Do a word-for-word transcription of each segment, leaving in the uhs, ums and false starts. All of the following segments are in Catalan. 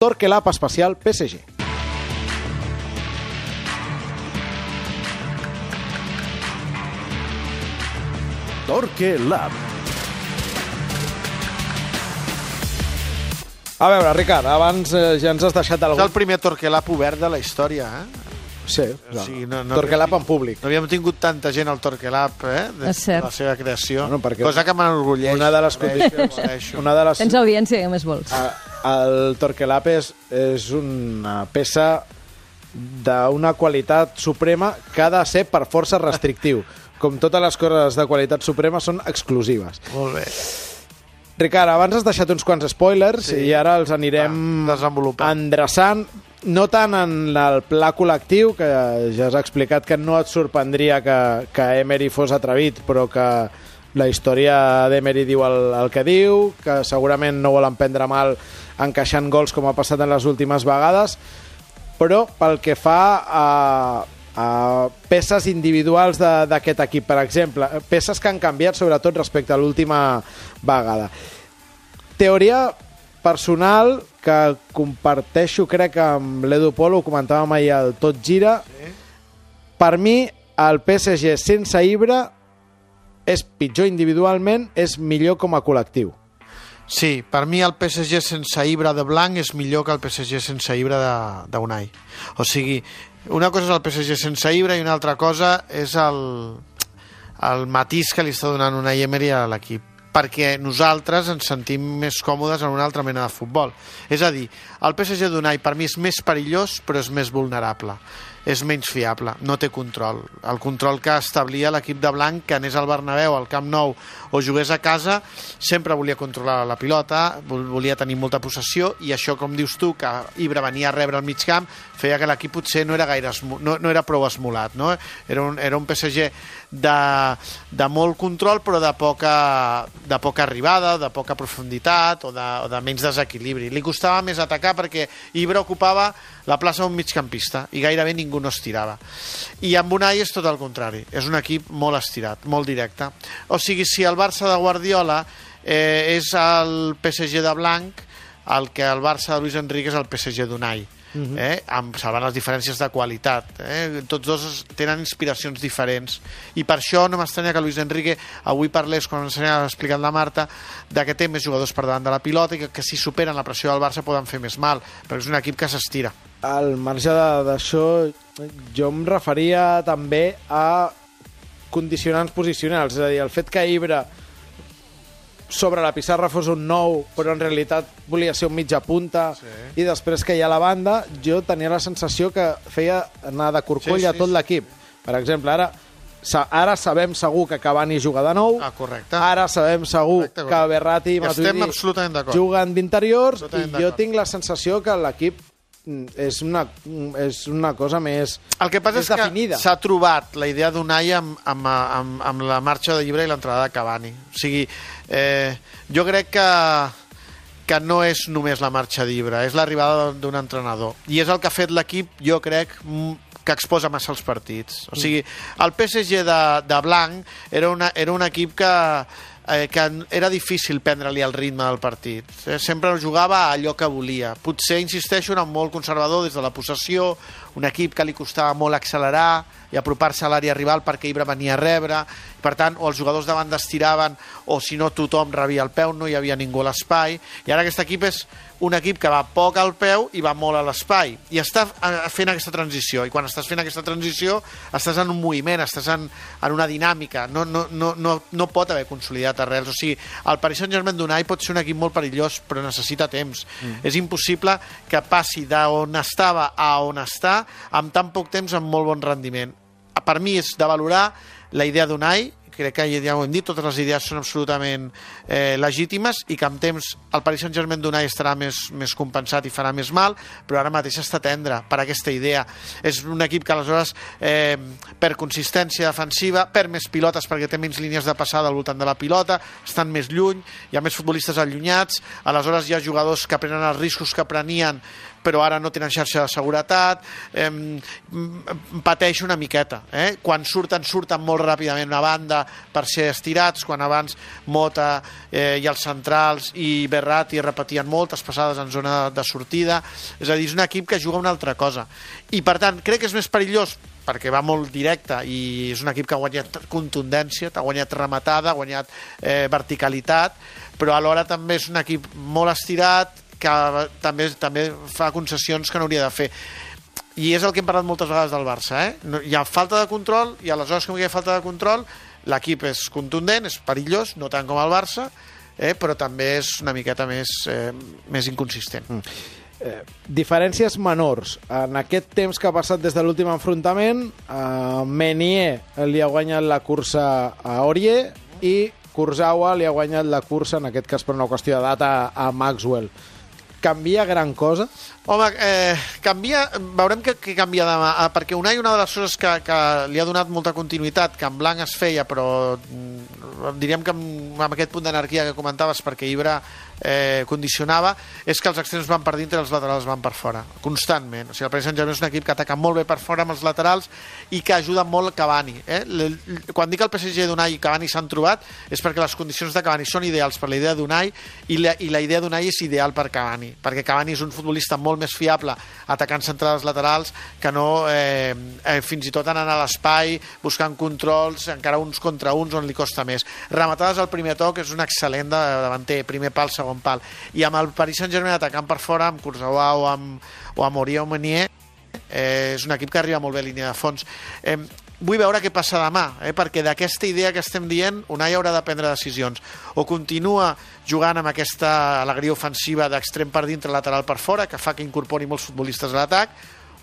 Torquelab especial P S G. Torquelab. A veure, Ricard, abans eh, ja ens has deixat algú... És el primer Torquelab obert de la història, eh? Sí, O sigui, no, no Torquelab havíem- en públic. No havíem tingut tanta gent al Torquelab, eh? De, És cert. de la seva creació. Bueno, perquè Cosa que m'enorgulleix. Una de les condicions... Condicions. Una de les... Tens audiència, què més vols? A- El Torquelab és, és una peça d'una qualitat suprema que ha de ser per força restrictiu. Com totes les coses de qualitat suprema són exclusives. Molt bé. Ricard, abans has deixat uns quants spoilers Sí. i ara els anirem Va, desenvolupant. endreçant, no tant en el pla col·lectiu, que ja has explicat que no et sorprendria que, que Emery fos atrevit, però que la història d'Emery diu el, el que diu, que segurament no volen prendre mal encaixant gols com ha passat en les últimes vegades, però pel que fa a, a peces individuals de- d'aquest equip, per exemple, peces que han canviat sobretot respecte a l'última vegada. Teoria personal que comparteixo, crec que amb l'Edu Polo, ho comentàvem ahir al Tot Gira. Sí. Per mi, el P S G sense Ibra és pitjor individualment, és millor com a col·lectiu. Sí, per mi el P S G sense Ibra de blanc és millor que el P S G sense Ibra de- d'Unai. O sigui, una cosa és el P S G sense Ibra i una altra cosa és el, el matís que li està donant Unai Emery a l'equip, perquè nosaltres ens sentim més còmodes en una altra mena de futbol. És a dir, el P S G d'Unai per mi és més perillós però és més vulnerable, és menys fiable, no té control. El control que establia l'equip de blanc, que anés al Bernabéu, al Camp Nou o jugués a casa, sempre volia controlar la pilota, vol- volia tenir molta possessió, i això, com dius tu, que Ibra venia a rebre al mig camp, feia que l'equip potser no era gaire esmo- no, no era prou esmolat, no? Era un, era un P S G de, de molt control però de poca, de poca arribada, de poca profunditat o de, o de menys desequilibri. Li costava més atacar perquè Ibra ocupava la plaça d'un migcampista i gairebé ningú no estirava. I amb Unai és tot el contrari, és un equip molt estirat, molt directe. O sigui, si el Barça de Guardiola eh, és el P S G de blanc, el que el Barça de Luis Enrique és el P S G d'Unai. Uh-huh. eh? Amb, salvant les diferències de qualitat, eh? Tots dos es- tenen inspiracions diferents, i per això no m'estranya que Luis Enrique avui parlés, quan ens ha explicat la Marta, de que té més jugadors per davant de la pilota i que, que si superen la pressió del Barça poden fer més mal, perquè és un equip que s'estira. Al marge de- d'això, jo em referia també a condicionants posicionals, és a dir, el fet que Ibra sobre la pissarra fos un nou, però en realitat volia ser un mitja punta, sí. I després que hi ha la banda, jo tenia la sensació que feia anar de corcoll Sí, sí, a tot sí. l'equip. Per exemple, ara, sa- ara sabem segur que Cavani juga de nou, Ah, correcte. ara sabem segur Correcte, correcte. que Verratti i Estem Matuidi absolutament d'acord. juguen d'interiors, i Absolutament jo d'acord. tinc la sensació que l'equip mm, és una, mm, és una cosa més, El que passa més és que definida. s'ha trobat la idea d'Unai amb, amb, amb, amb la marxa de Llibre i l'entrada de Cavani. O sigui, eh, jo crec que, que no és només la marxa d'Ibra, és l'arribada d'un entrenador. I és el que ha fet l'equip, jo crec, mm, que exposa massa els partits. O sigui, el P S G de, de blanc era, una, era un equip que, eh, que era difícil prendre-li el ritme del partit. Eh, sempre jugava a allò que volia. Potser, insisteixo, era molt conservador des de la possessió, un equip que li costava molt accelerar i apropar-se a l'àrea rival perquè Ibra venia a rebre. Per tant, o els jugadors de banda estiraven, o si no tothom rebia el peu, no hi havia ningú a l'espai. I ara aquest equip és un equip que va poc al peu i va molt a l'espai. I està eh, fent aquesta transició. I quan estàs fent aquesta transició, estàs en un moviment, estàs en, en una dinàmica. No, no, no, no, no pot haver consolidat arrels. O sigui, el Paris Saint-Germain d'Unai pot ser un equip molt perillós, però necessita temps. Mm. És impossible que passi d'on estava a on està amb tan poc temps, amb molt bon rendiment. Per mi és de valorar la idea d'Unai, crec que ja ho hem dit, totes les idees són absolutament eh, legítimes, i que amb temps el Paris Saint-Germain d'Unai estarà més, més compensat i farà més mal, però ara mateix està tendre per aquesta idea. És un equip que aleshores eh, per consistència defensiva, per més pilotes perquè té menys línies de passada al voltant de la pilota, estan més lluny, hi ha més futbolistes allunyats, aleshores hi ha jugadors que prenen els riscos que prenien però ara no tenen xarxa de seguretat, eh, pateix una miqueta. Eh? Quan surten, surten molt ràpidament a banda per ser estirats, quan abans Mota eh, i els centrals i Berratti repetien moltes passades en zona de sortida. És a dir, és un equip que juga una altra cosa. I, per tant, crec que és més perillós perquè va molt directe i és un equip que ha guanyat contundència, ha guanyat rematada, ha guanyat eh, verticalitat, però alhora també és un equip molt estirat que també també fa concessions que no hauria de fer. I és el que hem parlat moltes vegades del Barça. Eh? No, hi ha falta de control, i aleshores que hi ha falta de control, l'equip és contundent, és perillós, no tant com el Barça, eh? però també és una miqueta més, eh, més inconsistent. Mm. Eh, diferències menors. En aquest temps que ha passat des de l'últim enfrontament, eh, Meunier li ha guanyat la cursa a Aurier i Kurzawa li ha guanyat la cursa, en aquest cas per una qüestió de data, a Maxwell. Canvia gran cosa? Home, eh, canvia, veurem que, que canvia demà, eh, perquè Unai, una de les coses que, que li ha donat molta continuïtat, que en blanc es feia, però diríem que amb, amb aquest punt d'anarquia que comentaves, perquè Ibra eh, condicionava, és que els extrems van per dintre i els laterals van per fora, constantment. O sigui, el Paris Saint-Germain és un equip que ataca molt bé per fora amb els laterals i que ajuda molt Cavani. Eh? Quan dic el P S G d'Unai i Cavani s'han trobat, és perquè les condicions de Cavani són ideals per la idea d'Unai i, la, i la idea d'Unai és ideal per Cavani, perquè Cavani és un futbolista molt més fiable atacant centrals laterals que no eh, eh, fins i tot anant a l'espai, buscant controls, encara uns contra uns on li costa més. Rematades al primer toc, és un excel·lent davanter, primer pal, segon pal. I amb el Paris Saint-Germain atacant per fora, amb Kurzawa o amb, o amb Aurier o Meunier, eh, és un equip que arriba molt bé a línia de fons. Eh, vull veure què passa demà, eh, perquè d'aquesta idea que estem dient, Unai haurà de prendre decisions. O continua jugant amb aquesta alegria ofensiva d'extrem per dintre, lateral per fora, que fa que incorpori molts futbolistes a l'atac,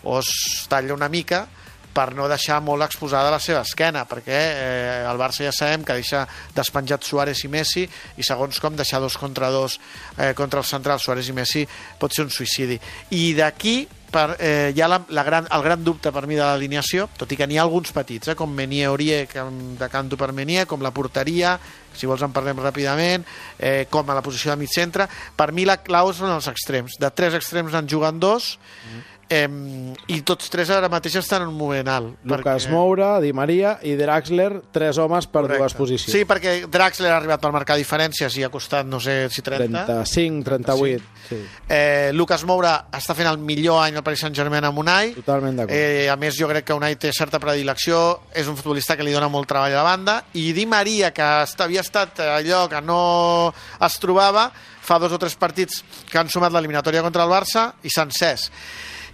o es talla una mica per no deixar molt exposada la seva esquena, perquè eh, el Barça ja sabem que deixa despenjat Suárez i Messi, i segons com deixar dos contra dos eh, contra el central, Suárez i Messi, pot ser un suïcidi. I d'aquí per, eh, hi ha la, la gran, el gran dubte per mi de l'alineació, tot i que n'hi ha alguns petits, eh, com Meunier, Aurier, que de canto per Meunier, com la porteria, si vols en parlem ràpidament, eh, com a la posició de mig centre. Per mi la clau són els extrems. De tres extrems en juguen dos, mm. Eh, i tots tres ara mateix estan en un moment alt. Lucas perquè... Moura, Di Maria i Draxler, tres homes per Correcte. Dues posicions. Sí, perquè Draxler ha arribat per marcar diferències i ha costat, no sé si trenta. trenta-cinc, trenta-vuit. Sí. Eh, Lucas Moura està fent el millor any al Paris Saint-Germain amb Unai. Totalment d'acord. Eh, a més, jo crec que Unai té certa predilecció, és un futbolista que li dona molt treball a la banda, i Di Maria, que havia estat allò que no es trobava, fa dos o tres partits que han sumat l'eliminatòria contra el Barça i s'ha encès.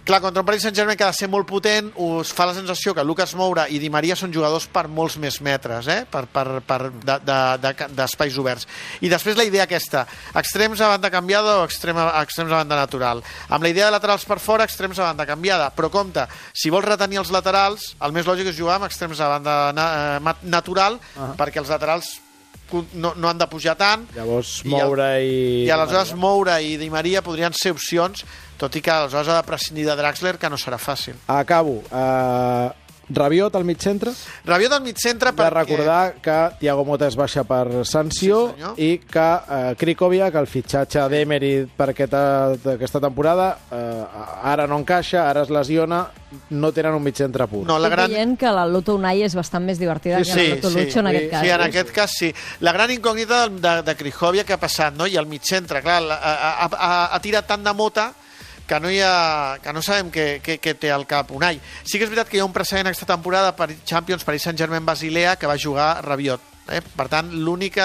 Clar, contra un Paris Saint-Germain que ha de ser molt potent, us fa la sensació que Lucas Moura i Di Maria són jugadors per molts més metres, eh? per, per, per d'espais de, de, oberts. I després la idea aquesta, extrems a banda canviada o extrem, extrems a banda natural. Amb la idea de laterals per fora, extrems a banda canviada. Però compte, si vols retenir els laterals, el més lògic és jugar amb extrems a banda na, natural, uh -huh. perquè els laterals no, no han de pujar tant. Llavors Moura i... I, i aleshores Moura i Di Maria podrien ser opcions, tot i que aleshores ha de prescindir de Draxler, que no serà fàcil. Acabo. Uh, Rabiot al mig centre? Rabiot al mig centre perquè... De recordar que Thiago Motta es baixa per sanció, sí, i que uh, Krikoviak, el fitxatge d'Emery per aquesta, aquesta temporada, uh, ara no encaixa, ara es lesiona, no tenen un mig centre pur. No, la gran... Estic dient que la Loto Unai és bastant més divertida sí, que la Loto sí, Lucho en sí, aquest cas. Sí, en aquest cas sí. La gran incògnita de, de Krikoviak que ha passat, no? I el mig centre, clar, ha, ha, ha tirat tant de Mota que no, hi ha, que no sabem què, què, què té al cap Unai. Sí que és veritat que hi ha un precedent aquesta temporada per Champions, Paris Saint-Germain Basilea, que va jugar Rabiot. Eh? Per tant, l'únic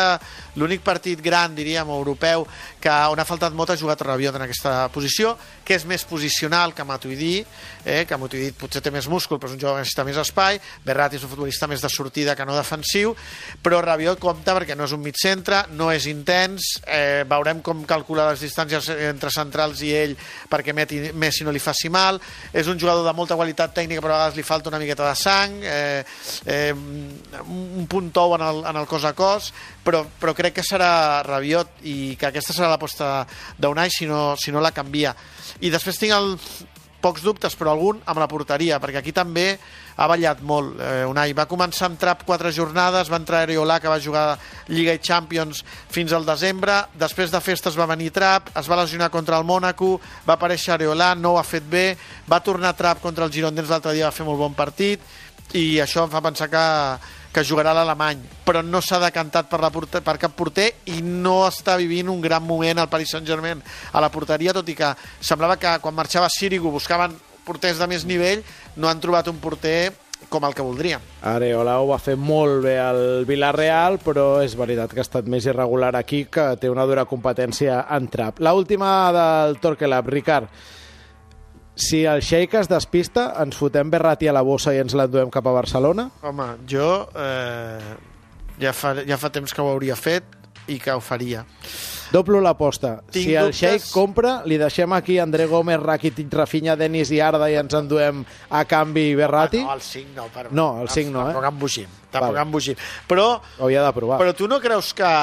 partit gran, diríem, europeu, que on ha faltat Mota ha jugat Rabiot en aquesta posició, que és més posicional que Matuidi, eh? que Matuidi potser té més múscul, però és un jugador que necessita més espai, Berratti és un futbolista més de sortida que no defensiu, però Rabiot compta perquè no és un mig centre, no és intens, eh, veurem com calcula les distàncies entre centrals i ell perquè Messi no li faci mal, és un jugador de molta qualitat tècnica, però a vegades li falta una miqueta de sang, eh, eh, un punt tou en el, en el cos a cos, però, però crec que serà Rabiot i que aquesta serà l'aposta d'Unai si no, si no la canvia. I després tinc el, pocs dubtes, però algun amb la porteria, perquè aquí també ha ballat molt. Eh, Unai va començar amb Trapp quatre jornades, va entrar Areola, que va jugar Lliga i Champions fins al desembre, després de festes va venir Trapp, es va lesionar contra el Mónaco, va aparèixer Areola, no ho ha fet bé, va tornar Trapp contra el Girondins l'altre dia, va fer molt bon partit, i això em fa pensar que que jugarà l'Alemany, però no s'ha decantat per, la porter, per cap porter i no està vivint un gran moment al Paris Saint-Germain a la porteria, tot i que semblava que quan marxava Sirigu buscaven porters de més nivell, no han trobat un porter com el que voldríem. Areola ho va fer molt bé al Villarreal, però és veritat que ha estat més irregular aquí, que té una dura competència en trap. L'última del Torquelab, Ricard. Si el Sheik es despista, ens fotem Berratti a la bossa i ens l'enduem cap a Barcelona? Home, jo eh, ja, fa, ja fa temps que ho hauria fet i que ho faria. Doblo l'aposta. Tinc si el dubtes... Sheik compra, li deixem aquí André Gómez, Rakitic, Rafinha, Denis i Arda i ens enduem a canvi Berratti? Ah, no, el cinc no. Per... No, el cinc no, eh? Tampoc embogim. Tampoc vale. embogim. Però, ho havia de provar. Però tu no creus que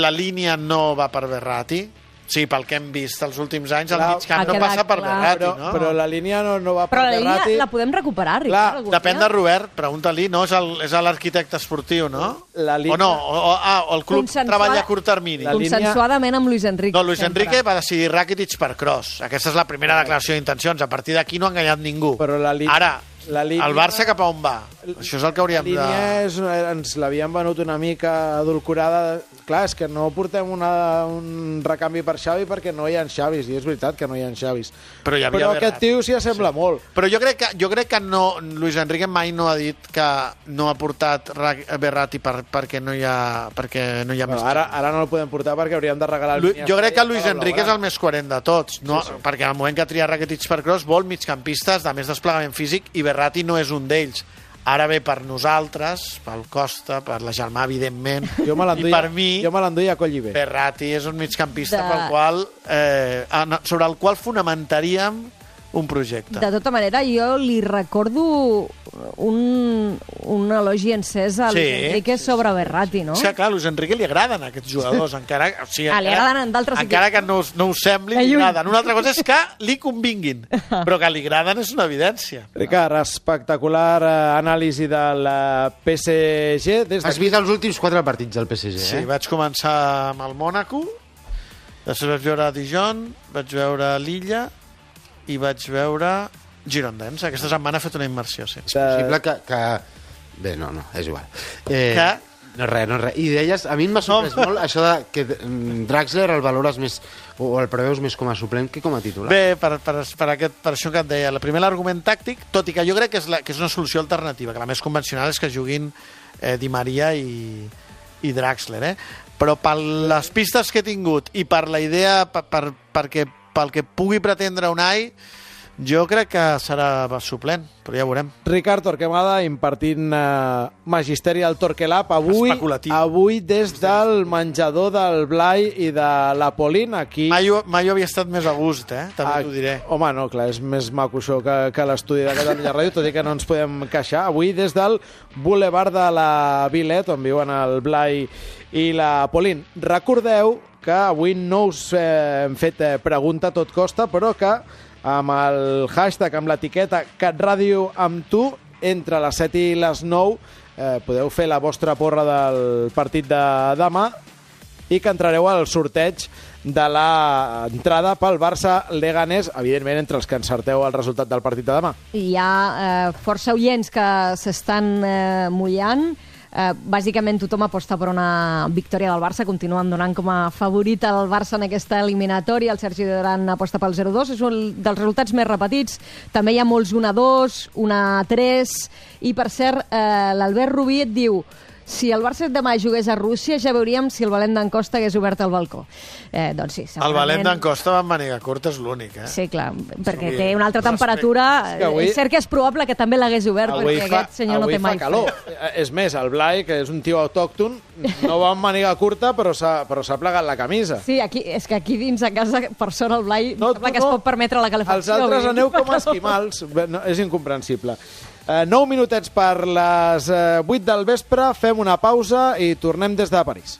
la línia no va per Berratti? Sí, pel que hem vist els últims anys, el mig camp no passa per Berratti, però, no? Però la línia no, no va per però la Berratti. línia la podem recuperar, Ricard? Clar, depèn de Robert, pregunta-li, no? És l'arquitecte esportiu, no? La línia... O no, o, o, ah, o el club Consensuada... treballa a curt termini. La línia... Consensuadament amb Luis Enrique. No, Luis sempre. Enrique va decidir Rakitic per Kroos. Aquesta és la primera declaració d'intencions. A partir d'aquí no ha enganyat ningú. Però la línia... Ara, la línia... el Barça cap a on va? Això és el que hauríem de... La línia és, ens l'havien venut una mica adulcorada. Clar, és que no portem una, un recanvi per Xavi perquè no hi ha Xavis, i és veritat que no hi ha Xavis. Però, hi havia Però aquest tio s'hi assembla sí. molt. Però jo crec que, jo crec que no, Luis Enrique mai no ha dit que no ha portat Berratti per, perquè no hi ha, perquè no hi ha bueno, més. Ara, ara no el podem portar perquè hauríem de regalar... Lu, jo crec que Luis Enrique és el més coherent de tots, no? Sí, sí. Perquè al moment que tria Rakitic per Kroos vol migcampistes de més desplegament físic i Berratti no és un d'ells. Ara bé, per nosaltres, pel Costa, per la Germà, evidentment, jo me i per mi, jo me l'enduia a Collibé. Berratti és un migcampista de... pel qual, eh, sobre el qual fonamentaríem un projecte. De tota manera, jo li recordo un, un elogi encès a Sí, Luis Enrique sobre Berratti, no? És que, clar, a Luis Enrique li agraden aquests jugadors, encara, o sigui, Ah, li encara, agraden en d'altres encara que no, us- no us sembli, De li lluny. agraden. Una altra cosa és que li convinguin, però que li agraden és una evidència. Ricard, espectacular eh, anàlisi del eh, P S G. Des Has vist els últims quatre partits del P S G, Sí, eh? vaig començar amb el Mònaco, després vaig veure Dijon, vaig veure l'Illa i vaig veure Girondins. Aquesta setmana he fet una immersió, sí. És possible que, que... Bé, no, no, és igual. Eh, Que? No, res, no, res. I deies, a mi m'ha sorprès No. molt això de que mm, Draxler el valores més, o el preveus més com a suplent que com a titular. Bé, per, per, per, aquest, per això que et deia, el primer l'argument tàctic, tot i que jo crec que és, la, que és una solució alternativa, que la més convencional és que juguin eh, Di Maria i, i Draxler, eh? Però per les pistes que he tingut i per la idea, per, per, perquè, pel que pugui pretendre Unai, jo crec que serà suplent, però ja veurem. Ricard Torquemada impartint eh, magisteri al Torquelab avui, Especulatiu. avui des del menjador del Blai i de la Polín aquí. Mai, ho- mai ho havia estat més a gust, eh? També Ah, t'ho diré. Home, no, clar, és més maco això que, que l'estudi de Catalunya Ràdio, tot i que no ens podem queixar. Avui des del Boulevard de la Vilet, on viuen el Blai i la Polín. Recordeu que avui no us eh, hem fet eh, pregunta a tot costa, però que amb el hashtag, amb l'etiqueta CatRàdio amb tu, entre les set i les nou, eh, podeu fer la vostra porra del partit de demà i que entrareu al sorteig de l'entrada pel Barça-Leganés, evidentment entre els que encerteu el resultat del partit de demà. Hi ha eh, força oients que s'estan eh, mullant. Eh, bàsicament tothom aposta per una victòria del Barça, continuen donant com a favorit el Barça en aquesta eliminatòria. El Sergi Duran aposta pel zero dos, és un dels resultats més repetits. També hi ha molts un a dos, un a tres, i per cert, eh, l'Albert Rubí et diu: si el Barça demà jugués a Rússia, ja veuríem si el Valent d'en Costa hagués obert el balcó. Eh, doncs sí, segurament... El Valent d'en Costa va amb màniga curta, és l'únic, eh? Sí, clar, perquè Sí, té una altra respecte. temperatura. És que avui- És cert que és probable que també l'hagués obert, Avui perquè fa, aquest senyor no avui té mai fa calor. Eh, És més, el Blai, que és un tio autòcton, no va amb màniga curta, però s'ha però s'ha plegat la camisa. Sí, aquí, és que aquí dins a casa, per sort, el Blai No, sembla tu que es no. pot permetre la calefacció. Els altres vull dir. aneu com esquimals. Bé, no, és incomprensible. Eh, nou minutets per les eh, vuit del vespre, fem una pausa i tornem des de París.